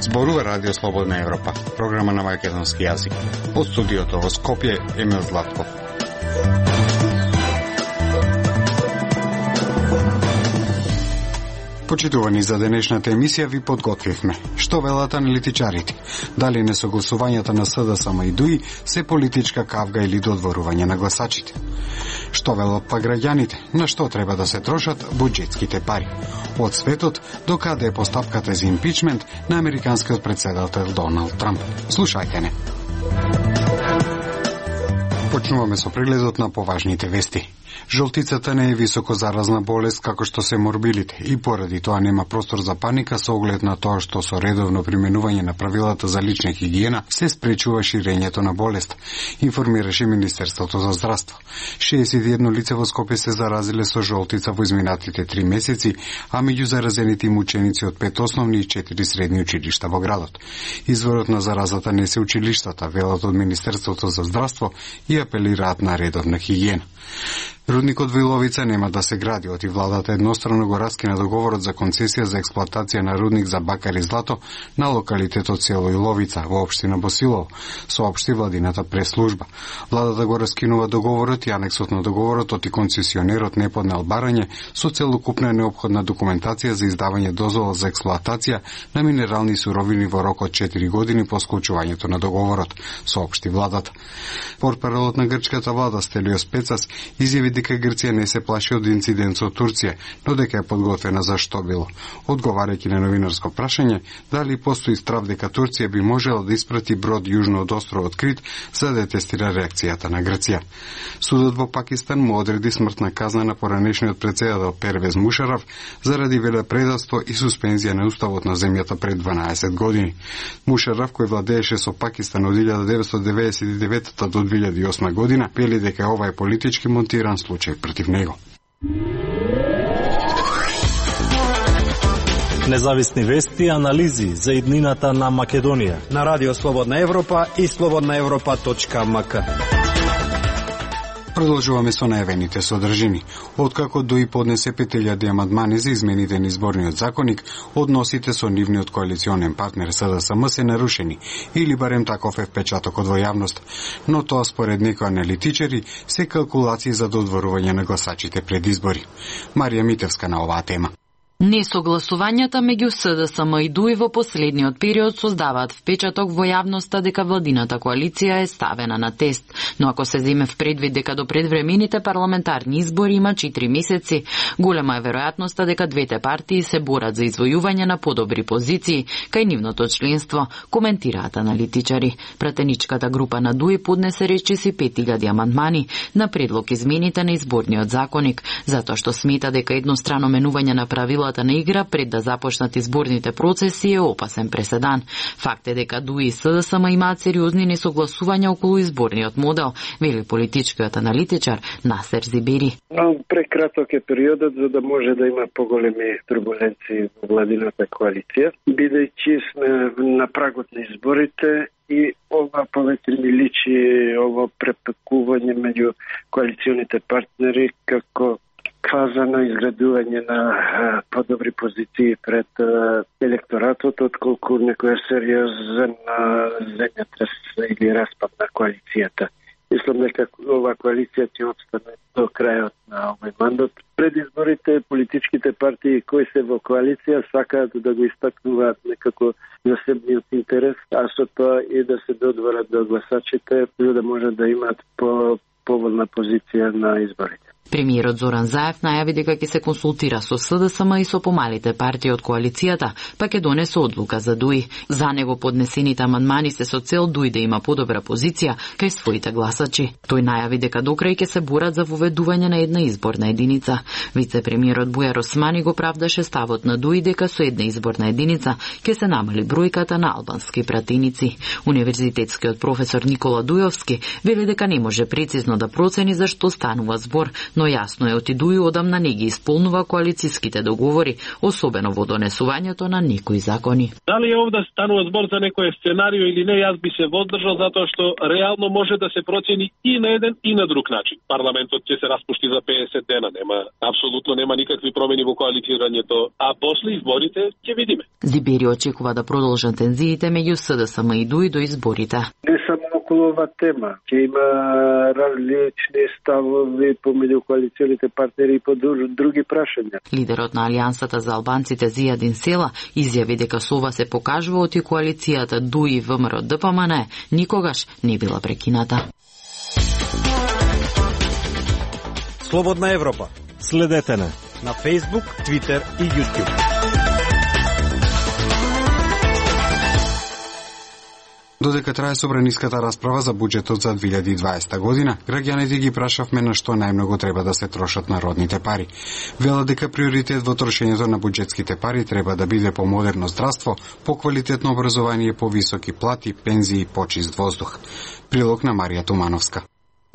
Зборува Радио Слободна Европа, програма на македонски јазик. Од студиото во Скопје, Емил Златков. Почитувани, за денешната емисија ви подготвивме. Што велат аналитичарите? Дали несогласувањата на СДСМ и ДУИ се политичка кавга или додворување на гласачите? Што велат па граѓаните? На што треба да се трошат буџетските пари? Од светот до каде е постапката за импичмент на американскиот претседател Доналд Трамп? Слушајте не. Почнуваме со прегледот на поважните вести. Жолтицата не е високо заразна болест како што се морбилите и поради тоа нема простор за паника со оглед на тоа што со редовно применување на правилата за лична хигиена се спречува ширењето на болест, информираше Министерството за здравство. 61 лица во Скопје се заразиле со жолтица во изминатите 3 месеци, а меѓу заразените им ученици од 5 основни и 4 средни училишта во градот. Изворот на заразата не се училиштата, велат од Министерството за здравство и апелираат на редовна хигиена. Рудникот во Иловица нема да се гради, оти владата еднострано го раскина договорот за концесија за експлоатација на рудник за бакар и злато на локалитетот село Иловица во општина Босилово, соопшти владината прес-служба. Владата го раскинува договорот и анексот на договорот оти концесионерот не поднел барање со целокупна неопходна документација за издавање дозвола за експлоатација на минерални суровини во рок од 4 години по склучувањето на договорот, соопшти владата. Портпаролот на грчката влада Стелиос Пецас изјави дека Грција не се плаши од инцидент со Турција, но дека е подготвена за што било. Одговарајќи на новинарско прашање дали постои страв дека Турција би можела да испрати брод јужно од островот Крит за да тестира реакцијата на Грција. Судот во Пакистан му одреди смртна казна на поранешниот претседател Первез Мушараф заради велепредавство и суспензија на уставот на земјата пред 12 години. Мушараф, кој владееше со Пакистан од 1999 до 2008 година, вели дека ова е политички монтиран случај против него. Независни вести и анализи за иднината на Македонија на Радио Слободна Европа и slobodnaevropa.mk. Продолжуваме со најавените содржини. Откако ДУИ поднесе 5000 амандмани за измените на изборниот законник, односите со нивниот коалиционен партнер СДСМ се нарушени, или барем таков е впечатокот во јавност. Но тоа според некои аналитичари се калкулации за додворување на гласачите пред избори. Марија Митевска на оваа тема. Несогласувањата меѓу СДСМ и ДУИ во последниот период создаваат впечаток во јавноста дека владината коалиција е ставена на тест, но ако се земе в предвид дека до предвремените парламентарни избори има 4 месеци, голема е веројатноста дека двете партии се борат за извојување на подобри позиции кај нивното членство, коментираат аналитичари. Пратеничката група на ДУИ поднесе речиси 5000 амандмани на предлог измените на изборниот законник, затоа што смета дека еднострано менување на правила на игра пред да започнат изборните процеси е опасен преседан. Факт е дека ДУИ и СДСМ имаат сериозни несогласувања околу изборниот модел, вели политичкиот аналитичар Насер Зибери. Прекраток е периодот за да може да има поголеми турбуленции во владината коалиција, бидејќи сме на прагот на изборите и ова повеќе ми личи ово препекување меѓу коалиционите партнери како фаза на изградување на подобри позиции пред електоратот, отколку некоја сериозен земјотрес или распад на коалицијата. Мислам дека ова коалиција ќе обстане до крајот на овој мандат. Пред изборите политичките партии кои се во коалиција сакаат да го истакнуваат некако засебниот интерес, а со тоа и да се додворат до гласачите за да можат да имаат поволна позиција на изборите. Премиерот Зоран Заев најави дека ќе се консултира со СДСМ и со помалите партии од коалицијата, па ќе донесе одлука за ДУИ. За него поднесените амандмани се со цел ДУИ да има подобра позиција кај своите гласачи. Тој најави дека докрај ќе се борат за воведување на една изборна единица. Вице-премиерот Бујар Османи го правдаше ставот на ДУИ дека со една изборна единица ќе се намали бројката на албански пратеници. Универзитетскиот професор Никола Дујовски вели дека не може прецизно да процени за што станува збор, но јасно е отидуи одамна не ги исполнува коалициските договори, особено во донесувањето на некои закони. Дали овде станува збор за некој сценарио или не, јас би се воздржал затоа што реално може да се процени и на еден и на друг начин. Парламентот ќе се распушти за 50 дена, апсолутно нема никакви промени во коалицирањето, а после изборите ќе видиме. Зибери очекува да продолжат тензиите меѓу СДСМ и ДУИ до изборите. Не само околу ова тема, ќе има различни ставови помеѓу коалиционите партнери и по други прашања. Лидерот на Алијансата за албанците Зијадин Села изјави дека со ова се покажува оти коалицијата ДУИ ВМРО ДПМН никогаш не била прекината. Слободна Европа. Следете на Facebook, Twitter и YouTube. Додека трае собраниската расправа за буџетот за 2020 година, граѓаните ги прашавме на што најмногу треба да се трошат народните пари. Велат дека приоритет во трошењето на буџетските пари треба да биде по модерно здравство, по квалитетно образование, по високи плати, пензии и почист воздух. Прилог на Марија Тумановска.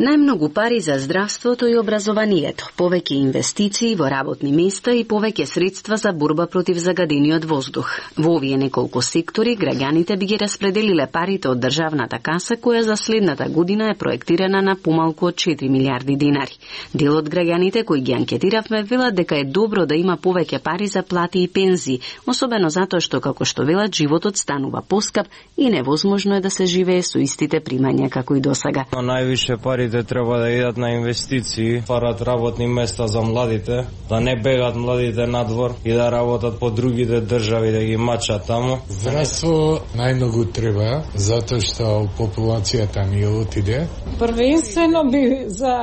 Најмногу пари за здравството и образованието, повеќе инвестиции во работни места и повеќе средства за борба против загадениот воздух. Во овие неколку сектори граѓаните би ги распределиле парите од државната каса, која за следната година е проектирана на помалку од 4 милиарди динари. Дел од граѓаните кои ги анкетиравме велат дека е добро да има повеќе пари за плати и пензии, особено затоа што, како што велат, животот станува поскап и невозможно е да се живее со истите примања како и досега. Највише пари треба да идат на инвестиции, парат работни места за младите, да не бегат младите надвор и да работат по другите држави, да ги мачат таму. Здравство најмногу треба, затоа што популацијата ни отиде. Првенствено би за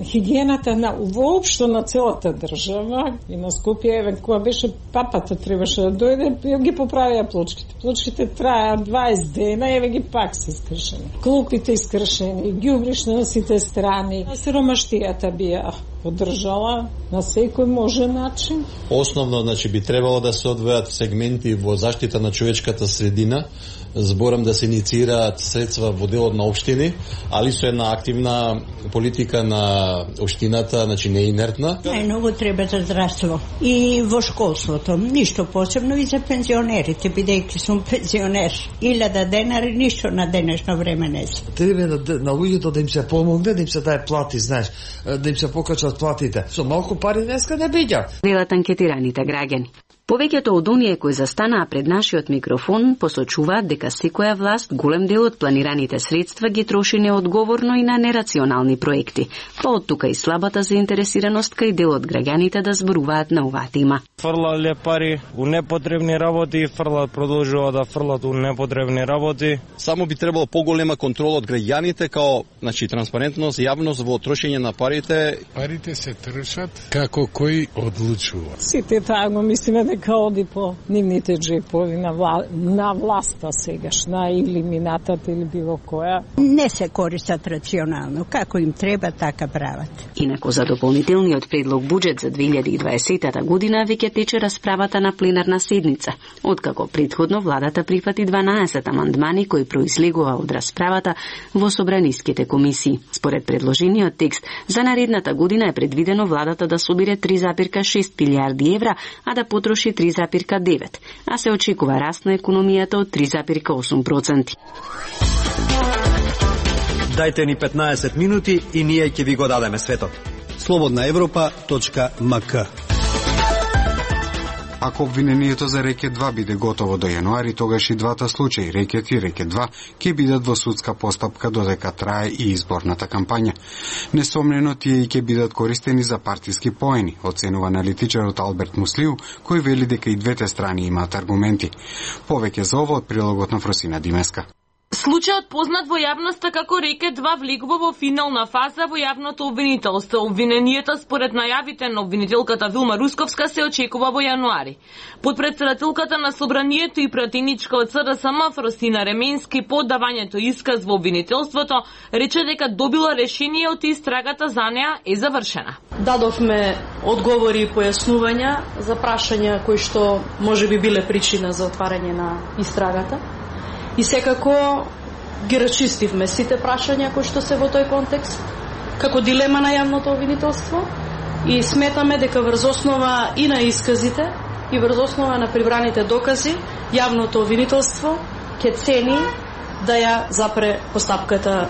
хигиената на воопшто на целата држава и на Скопје, еве кога беше папата требаше да дојде, ги поправија плочките. Плочките траја 20 дена, еве ги пак се скршени. Клупите искршени, ѓубриш на сите страни. Сиромаштијата би ја поддржала на секој можен начин. Основно, би требало да се одвојат сегменти во заштита на човечката средина, зборам да се инициираат средства во делот на општини, али со една активна политика на општината, не инертна. Најмногу треба за здравство и во школството, ништо посебно и за пензионерите, бидејќи сум пензионер. 1000 денари, ништо на денешно време не се. Треба на луѓето да им се помогне, да им се даде плати, да им се покачат платите. Со малку пари днеска не биѓа. Велат анкетираните граѓани. Повеќето од оние кои застанаа пред нашиот микрофон посочуваат дека секоја власт голем дел од планираните средства ги троши неодговорно и на нерационални проекти. Па од тука и слабата заинтересираност кај дел од граѓаните да зборуваат на оваа тема. Фрлале пари у непотребни работи и продолжува да фрлат у непотребни работи. Само би требало поголема контрола од граѓаните, као транспарентност, јавност во трошење на парите. Парите се трошат како кој одлучува. Сите таа го мислиме дека оди по нивните джепови на власта сегашна или минатата или било која. Не се користат рационално, како им треба така прават. Инаку за дополнителниот предлог буџет за 2020 година веќе тече расправата на пленарна седница, откако претходно владата прифати 12 амандмани кои произлегува од расправата во собраниските комисии. Според предложениот текст, за наредната година е предвидено владата да собере 3,6 милиарди евра, а да потроши 3,9, а се очекува раст на економијата од 3,8%. Дајте ни 15 минути и ние ќе ви го дадеме светот. slobodnaevropa.mk. Ако обвинението за рекет 2 биде готово до јануари, тогаш и двата случаи, рекет и рекет 2, ќе бидат во судска постапка додека трае и изборната кампања. Несомнено тие и ќе бидат користени за партиски поени, оценува аналитичарот Алберт Муслиу, кој вели дека и двете страни имаат аргументи. Повеќе за ово од прилогот на Фросина Димеска. Случајот познат во јавноста како рекет 2 влегува во финална фаза во јавното обвинителство. Обвиненијата според најавите на обвинителката Вилма Русковска се очекува во јануари. Подпредседателката на собранието и пратеничка од СДСМ Фросина Ременски по давањето исказ во обвинителството рече дека добила решение од истрагата за неа е завршена. Дадовме одговори и појаснувања за прашања кои што можеби биле причина за отварање на истрагата. И секако ги рачистивме сите прашања кои што се во тој контекст како дилема на јавното обвинителство и сметаме дека врз основа и на исказите и врз основа на прибраните докази јавното обвинителство ќе цени да ја запре постапката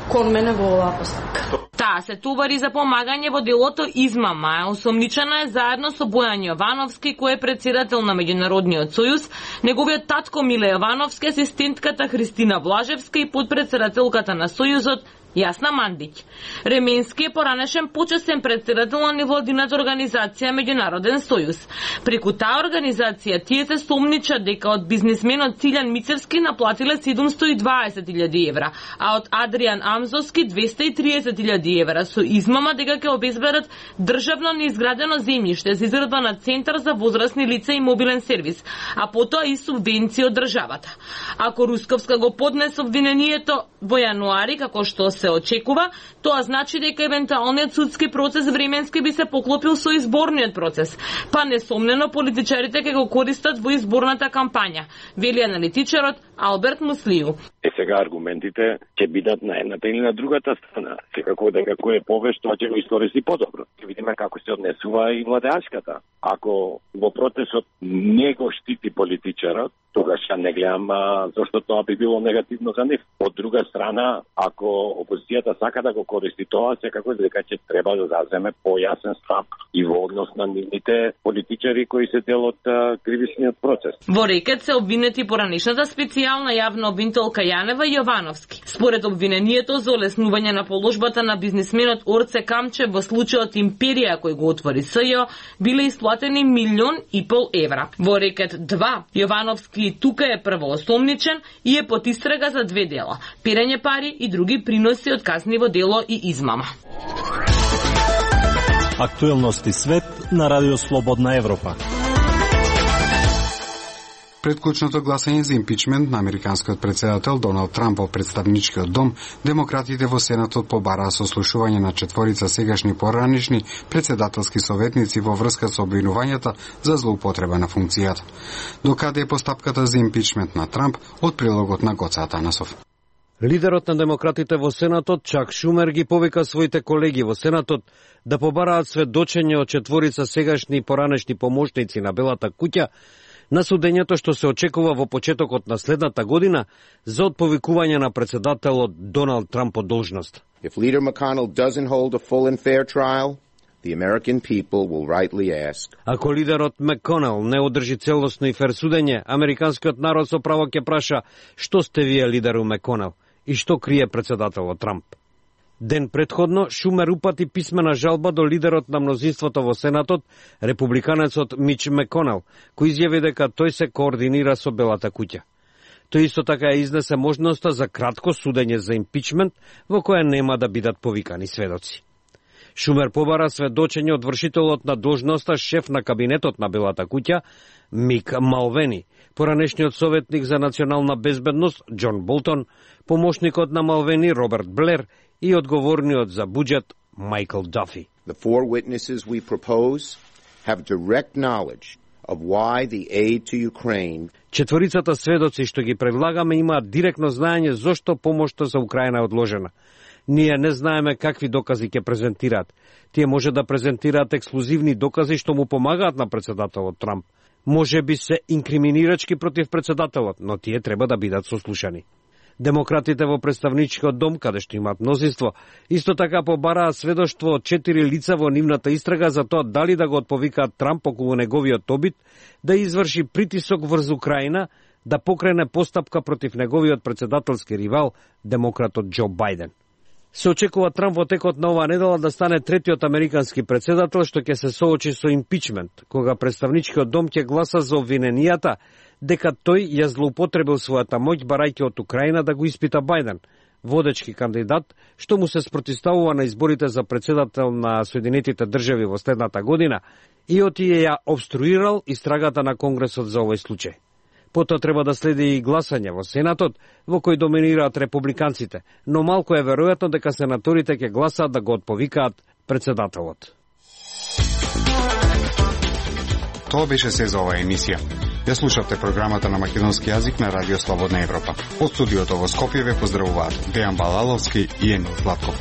кон мене во оваа постапка. Таа се товари за помагање во делото измама. Осомничена е заедно со Бојан Јовановски, кој е председател на Меѓународниот сојуз, неговиот татко Миле Јовановски, асистентката Христина Блажевска и подпредседателката на сојузот Јасна Мандиќ. Ременски е поранешен почесен председател на невладината организација Меѓународен сојуз. Преку таа организација тие се сомничат дека од бизнисменот Цилјан Мицевски наплатиле 720.000 евра, а од Адријан Амзовски 230.000 евра со измама дека ќе обезбедат државно неизградено земјиште за изградба на центар за возрасни лица и мобилен сервис, а потоа и субвенции од државата. Ако Русковска го поднесе обвинението во јануари, како што се очекува, тоа значи дека евентуалниот судски процес временски би се поклопил со изборниот процес, па несомнено политичарите ќе го користат во изборната кампања, вели аналитичарот Алберт Муслију. Сега аргументите ќе бидат на едната или на другата страна. Секако дека кој е повеш, тоа ќе го искористи подобро. Ќе видиме како се однесува и владеачката. Ако во процесот не го штити политичарот, тогаш ја не гледам зашто тоа би било негативно за нив. Од друга страна, ако опозицијата сака да го користи тоа, секако дека ќе треба да заземе појасен став и во однос на нивните политичари кои се дел од кривичниот процес. Во рекет се обвинети поранешната специјална јавна обвинителка Јанева и Јовановски. Според обвинението за олеснување на положбата на бизнисменот Орце Камче во случајот Империја кој го отвори СЈО, биле исплатени 1,5 милион евра. Во рекет 2, Јовановски и тука е првоосомничен и е под истрага за 2 дела: перење пари и други приноси од казниво дело и измама. Актуелности свет на Радио Слободна Европа. Пред клучното гласање за импичмент на американскиот председател Доналд Трамп во представничкиот дом, демократите во Сенатот побараа сослушување на 4 сегашни поранишни председателски советници во врска со обвинувањата за злоупотреба на функцијата. Докаде е постапката за импичмент на Трамп, од прилогот на Гоца Атанасов. Лидерот на демократите во Сенатот, Чак Шумер, ги повика своите колеги во Сенатот да побараат сведочење од 4 сегашни и поранешни помошници на Белата куќа на судењето што се очекува во почетокот на следната година за отповикување на председателот Доналд Трамп од должност. If Leader McConnell doesn't hold a full and fair trial, the American people will rightly ask. Ако лидерот Маконел не одржи целосно и фер судење, американскиот народ со право ќе праша: што сте вие, лидеру Маконел, и што крие председателот Трамп? Ден предходно, Шумер упати писмена жалба до лидерот на мнозинството во Сенатот, републиканецот Мич Маконел, кој изјави дека тој се координира со Белата куќа. Тој исто така изнесе можноста за кратко судење за импичмент, во кое нема да бидат повикани сведоци. Шумер побара сведочење од вршителот на должноста шеф на кабинетот на Белата куќа, Мик Малвени, поранешниот советник за национална безбедност Џон Болтон, помошникот на Малвени Роберт Блер и одговорниот за буџет Майкл Дафи. The 4 witnesses we propose have direct knowledge of why the aid to Ukraine. 4 сведоци што ги предлагаме имаат директно знаење зошто помошта за Украина е одложена. Ние не знаеме какви докази ќе презентираат. Тие може да презентираат ексклузивни докази што му помагаат на председателот Трамп. Може би се инкриминирачки против председателот, но тие треба да бидат сослушани. Демократите во представничкиот дом, каде што имаат мнозинство, исто така побараа сведоштво од 4 лица во нивната истрага за тоа дали да го отповикаат Трамп околу неговиот обид да изврши притисок врз Украина да покрене постапка против неговиот председателски ривал, демократот Џо Бајден. Се очекува Трамп во текот на оваа недела да стане третиот американски председател што ќе се соочи со импичмент, кога представничкиот дом ќе гласа за обвиненијата дека тој ја злоупотребил својата моќ барајќи од Украина да го испита Бајден, водечки кандидат што му се спротивставува на изборите за председател на Соединетите држави во следната година и отие ја обструирал истрагата на Конгресот за овој случај. Потоа треба да следи и гласање во Сенатот, во кој доминираат републиканците, но малку е веројатно дека сенаторите ќе гласаат да го отповикаат председателот. Тоа беше се за оваа емисија. Ја слушавте програмата на македонски јазик на Радио Слободна Европа. Од студиото во Скопје ве поздравуваат Дејан Балаловски и Емил Златков.